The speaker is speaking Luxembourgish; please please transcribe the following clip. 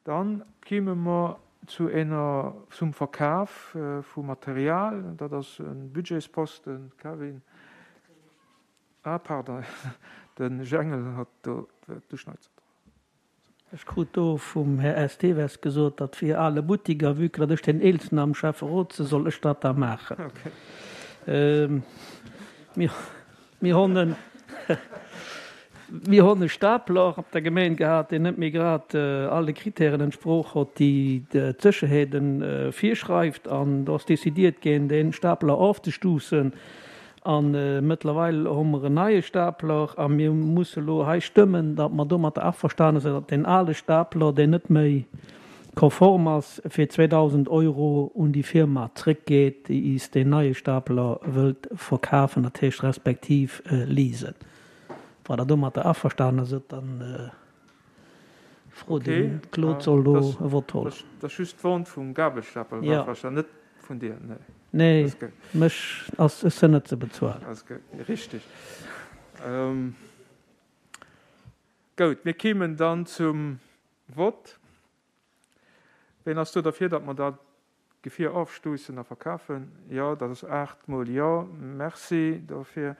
Dann kéime mer zu ener, zum Verkaf vu Material. Dat ass e Budgetsposten. Kevin. Ah, pardon, de Jengel hat do d'Uschneizer dran. Ech krut do vum Här Esteves gesot, dat wier ale Buttik, a vue que datt ech deen Eelsten am Schäfferot sinn, soll ech dat da maachen. Mir honn en, mir honn e Stapler op der Gemeen gehat, deen net méi grad all de Kritären entsprooch hott, déi d'Sécherheet virschreift, an do ass décidiert ginn, dee Stapler ofzestuussen. A mëttlerweil hu mer en neie Stapler a mir musse elo hei stëmmen, datt mer domatter averstane sinn, datt deen ale Stapler, deen net méi konform ass, fir 2.000 Euro un déi Firma zrëckgeet, déi is deen neie Stapler wëllt verkafen, dat heescht respektiv leasen. Wa Der domatter averstane sidd, dann. Fro den Claude soll do e Vott holen. Dat ass just d'Vente vum Gabelstapler, net vun dir? Nee, mech ass, ech sinn net ze bezuelen. Richteg. Goud, mir kéimen dann zum Vott. Ween ass do derfir, datt mer dat Gefier ofstoussen a verkafen? Jo, dat ass 8 mol Jo. Merci dofir.